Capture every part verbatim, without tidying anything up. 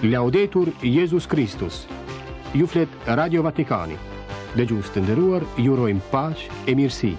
Laudetur Jezus Kristus. Ju flet Radio Vatikani. Dëgjues të nderuar, ju urojmë paqe e mirësi.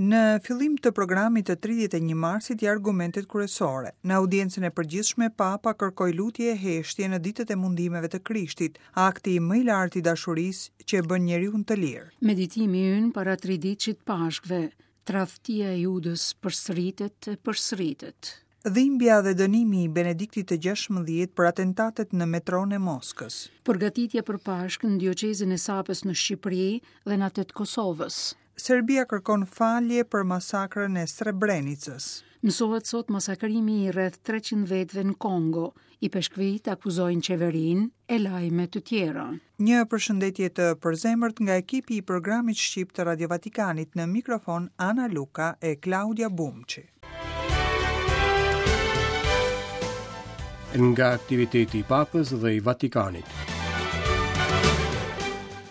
Në fillim të programit të tridhjetë e një marsit i argumentet kryesore. Në audiencën e përgjithshme, Papa kërkoi lutje e heshtje në ditët e mundimeve të Krishtit, akti më i lartë i dashurisë që e bën njeriun të lirë. Meditimi ynë para triditëshit Pashkëve, tradhtia e Judës përsëritet e përsëritet. Dhimbja dhe dënimi i Benediktit të gjashtëmbëdhjetë për atentatet në metron e Moskës. Përgatitja për Pashkë në dioqezën e Sapës në Shqipëri dhe në atë të Kosovës. Serbia kërkon falje për masakrën e Srebrenicës. Mësohet sot masakrimi i rreth treqind vetëve në Kongo. Ipeshkvit akuzojnë qeverinë e lajme të tjera. Një përshëndetje të përzemërt nga ekipi i programit shqip të Radio Vatikanit, në mikrofon Ana Luka e Klaudia Bumçi. Nga aktiviteti i Papës dhe i Vatikanit.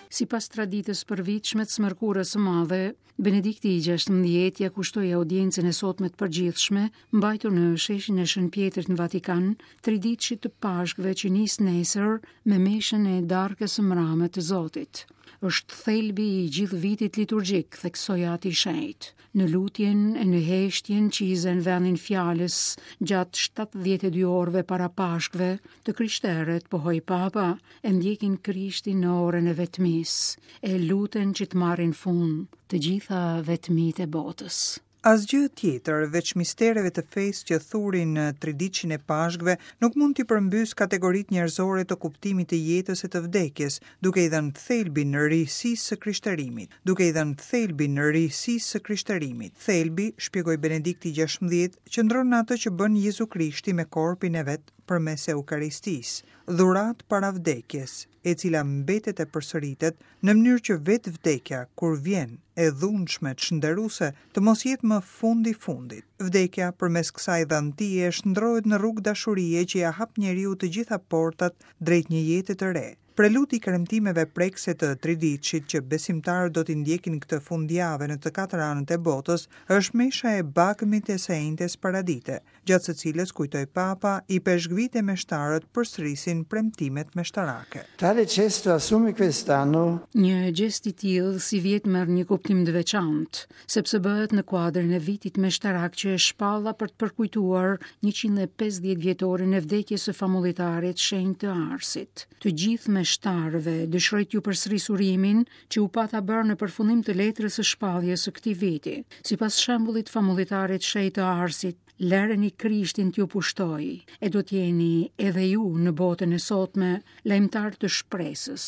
Sipas traditës përvitshme të së mërkurës së madhe, Benedikti i gjashtëmbëdhjetë ja kushtoi audiencën e sotme të përgjithshme, mbajtur në sheshin e Shën Pjetrit në Vatikan, triditëshit të Pashkëve që nis nesër me meshën e darkës së mrame të Zotit. Është thelbi i gjithë vitit liturgjik, theksoi Ati i Shenjtë. Në lutjen e në heshtjen që i zën vendin fjalës gjatë shtatëdhjetë e dy orëve para Pashkëve, të krishterët, pohoi Papa, e ndjekin Krishtin në orën e vetmisë, e luten që të marrin fund të gjitha vetmitë e botës. Asgjë tjetër, veç mistereve të fesë që thurin në triditëshin e Pashkëve, nuk mund t'i përmbys kategoritë njerëzore të kuptimit të jetës e të vdekjes, duke i dhënë thelbin risisë së krishterimit, duke i dhënë thelbin risisë së krishterimit. Thelbi, shpjegoi Benedikti gjashtëmbëdhjetë, qëndron në atë që bën Jezu Krishti me korpin e vet përmes Eukaristisë, dhuratë para vdekjes, e cila mbetet e përsëritet në mënyrë që vetë vdekja, kur vjen e dhunshme çnderuese, të mos jetë më fundi fundit. Vdekja përmes kësaj dhantie shndrohet në rrugë dashurie që ja hap njeriu të gjitha portat drejt një jete të re. Preludi i kremtimeve prekse të triditëshit që besimtarët do t'i ndjekin këtë fundjavë në të katër anët e botës, është mesha e bagmit e së enjtes paradite, gjatë së cilës, kujtoi Papa, ipeshkvit e meshtarët përsërisin premtimet meshtarake. Tale gesto assume quest'anno Një gjest i tillë sivjet merr një kuptim të veçantë, sepse bëhet në kuadrin e vitit meshtarak që e shpalla për të përkujtuar njëqind e pesëdhjetë vjetorin e vdekjes së famullitarit shenjt të Arsit. Të gjithë meshtarëve dëshiroj t'ju përsëris urimin që u pata bërë në përfundim të letrës së shpalljes së këtij viti. Sipas shembullit famullitarit shenjt të Arsit, lëreni Krishtin t'ju pushtoj, e do t'jeni edhe ju në botën e sotme lajmëtar të shpresës,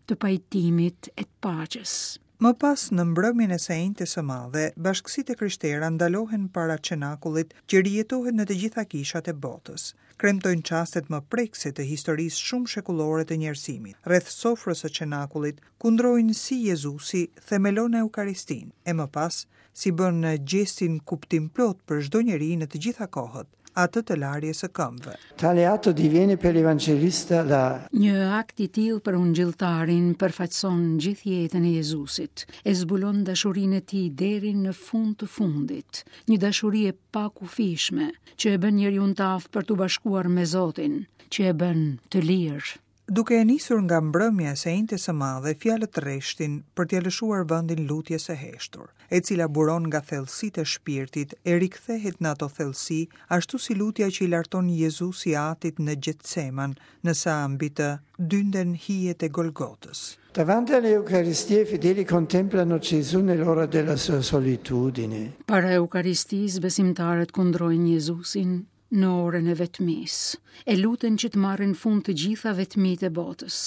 të pajtimit e të paqes. Më pas, në mbrëmjen e së enjtes së madhe, bashkësitë e krishtera ndalohen para cenakullit që rijetohet në të gjitha kishat e botës. Kremtojnë çastet më prekëse të historisë shumë shekullore të njerëzimit. Rreth sofrës së cenakullit kundrojnë si Jezusi themelon Eukaristinë, e më pas si bën gjestin kuptimplot për çdo njeri në të gjitha kohët, atë të larjes së këmbëve. Tale atto diviene per l'evangelista la Një akt i tillë për ungjilltarin përfaqëson gjithë jetën e Jezusit, e zbulon dashurinë e tij deri në fund të fundit, një dashuri e pakufishme që e bën njeriu të aftë për t'u bashkuar me Zotin, që e bën të lirë. Duke e nisur nga mbrëmja e së enjtes së madhe, fjalët rreshtin për t'ia lëshuar vendin lutjes së heshtur, e cila buron nga thellësitë e shpirtit e rikthehet në ato thellësi, ashtu si lutja që i larton Jezusi Atit në Getseman, në sa mbi të dynden hijet e Golgotës. Davanti all'Eucaristia i fedeli contemplano Gesù nell'ora della sua solitudine. Para Eukaristisë, besimtarët kundrojnë Jezusin në orën e vetmisë, e luten që të marrin fund të gjitha vetmitë e botës.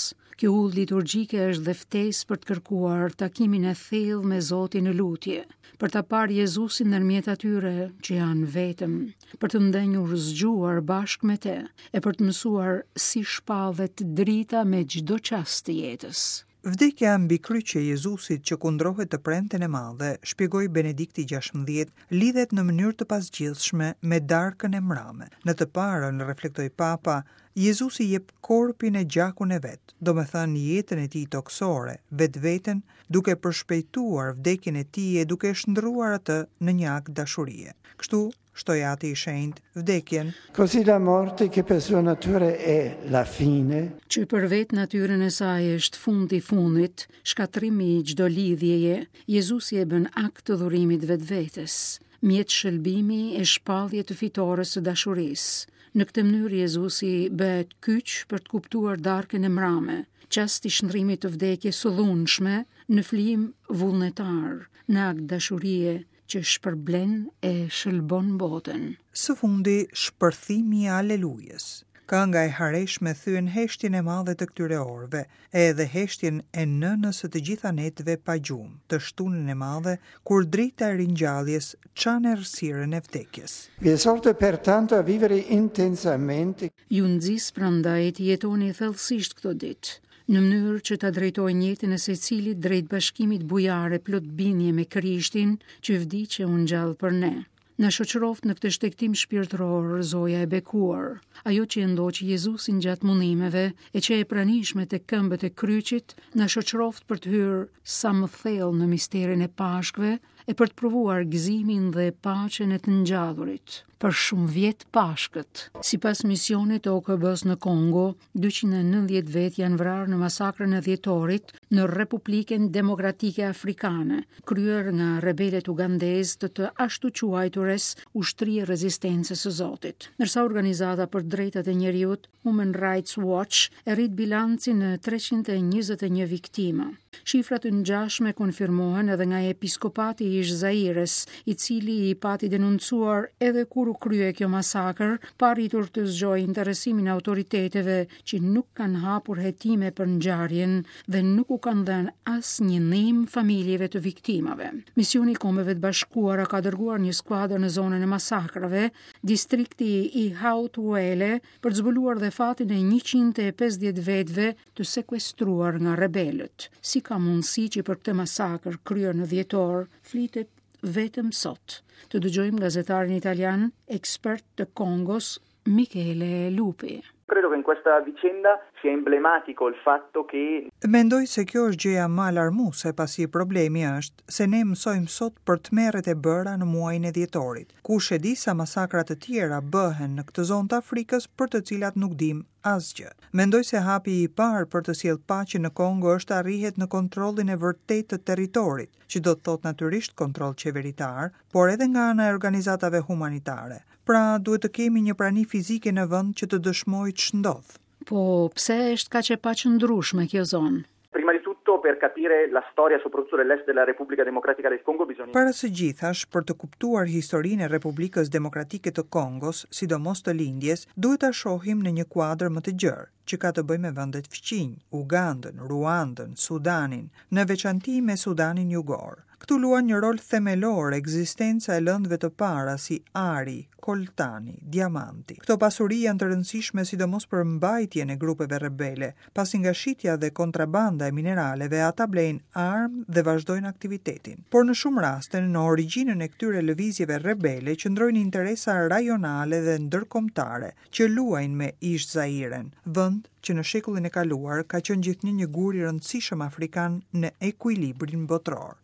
Kjo udhë liturgjike është dhe ftesë për të kërkuar takimin e thellë me Zotin në lutje, për ta parë Jezusin ndërmjet atyre që janë vetëm, për të ndenjur zgjuar bashkë me të e për të mësuar si shpallet drita me çdo çast të jetës. Vdekja mbi kryq e Jezusit që kundrohet të premten e madhe, shpjegoi Benedikti gjashtëmbëdhjetë, lidhet në mënyrë të pazgjidhshme me darkën e mrame. Në të parën, reflektoi Papa, Jezusi jep korpin e gjakun e vet, domethënë jetën e tij tokësore, vetveten, duke përshpejtuar vdekjen e tij e duke shndërruar atë në një akt dashurie. Kështu, shtoi Ati i Shenjtë, vdekjen, Così la morte, che per sua natura è la fine, që për vetë natyrën e saj është fundi i fundit, shkatërrimi i çdo lidhjeje, Jezusi e bën akt të dhurimit vetvetes, mjet shëlbimi e shpallje të fitores së dashurisë. Në këtë mënyrë Jezusi bëhet kyç për të kuptuar darkën e mrame, çast i shndrimit të vdekjes së dhunshme në flijim vullnetar, në akt dashurie që shpërblen e shëlbon botën. Së fundi, shpërthimi i Alelujës. Kënga e hareshme thyen heshtjen e madhe të këtyre orëve, edhe heshtjen e nënës së të gjitha netëve pa gjumë, të shtunën e madhe, kur drita e ringjalljes çan errësirën e vdekjes. Vi esorto pertanto a vivere intensamente Ju nxis prandaj të jetoni thellësisht këto ditë, në mënyrë që ta drejtojnë jetën e secilit drejt bashkimit bujar e plot bindje me Krishtin që vdiq e u ngjall për ne. Na shoqëroft në këtë shtegtim shpirtëror Zoja e bekuar, ajo që e ndoqi Jezusin gjatë mundimeve e që e pranishme te këmbët e kryqit, na shoqëroft për të hyrë sa më thellë në misterin e Pashkëve e për të provuar gëzimin dhe paqen e të ngjallurit. Për shumë vjet Pashkët. Sipas misionit të O K B-s në Kongo, dyqind e nëntëdhjetë vet janë vrarë në masakrën e dhjetorit në Republikën Demokratike Afrikane, kryer nga rebelët ugandezë të të ashtuquajturës Ushtri e Rezistencës së Zotit. Ndërsa organizata për drejtat e njeriut Human Rights Watch e rrit bilancin në treqind e njëzet e një viktima. Shifrat të ngjashme konfirmohen edhe nga episkopati i Zaires, i cili i pati denoncuar edhe kur u krye kjo masakër, pa arritur të zgjojë interesimin e autoriteteve që nuk kanë hapur hetime për ngjarjen dhe nuk u kanë dhënë asnjë ndihmë familjeve të viktimave. Misioni i Kombeve të Bashkuara ka dërguar një skuadër në zonën e masakrave, distrikti i Haut-Uele, për të zbuluar dhe fatin e njëqind e pesëdhjetë vetëve të sekuestruar nga rebelët. Si ka mundësi që për këtë masakër kryer në dhjetor flitet vetëm sot? Të dëgjojmë gazetarin italian, ekspert të Kongos, Michele Lupi. Credo che in questa vicenda sia emblematico il fatto che Mendoj se kjo është gjëja më alarmuese, pasi problemi është se ne mësojmë sot për tmerret e bëra në muajin e dhjetorit. Kush e di sa masakra të tjera bëhen në këtë zonë të Afrikës për të cilat nuk dim asgjë. Mendoj se hapi i parë për të sjellë paqe në Kongo është arrihet në kontrollin e vërtetë të territorit, që do të thotë natyrisht kontroll qeveritar, por edhe nga ana e organizatave humanitare. Pra, duhet të kemi një prani fizike në vend që të dëshmojë ç'ndodh. Po, pse është kaq e paqëndrueshme kjo zonë? Prima di tutto, per capire la storia soprattutto dell'est della Repubblica Democratica del Congo bisogna Para së gjithash, për të kuptuar historinë e Republikës Demokratike të Kongos, sidomos të lindjes, duhet ta shohim në një kuadër më të gjerë, që ka të bëjë me vendet fqinj, Ugandën, Ruandën, Sudanin, në veçanti me Sudanin Jugor. Këtu luan një rol themelor ekzistenca e lëndëve të para si ari, koltani, diamanti. Këto pasuri janë të rëndësishme sidomos për mbajtjen e grupeve rebele, pasi nga shitja dhe kontrabanda e mineraleve ata blejnë armë dhe vazhdojnë aktivitetin. Por në shumë raste, në origjinën e këtyre lëvizjeve rebele qëndrojnë interesa rajonale dhe ndërkombëtare që luajnë me ish Zairen, vend që në shekullin e kaluar ka qenë gjithnjë një gur i rëndësishëm afrikan në ekuilibrin botëror.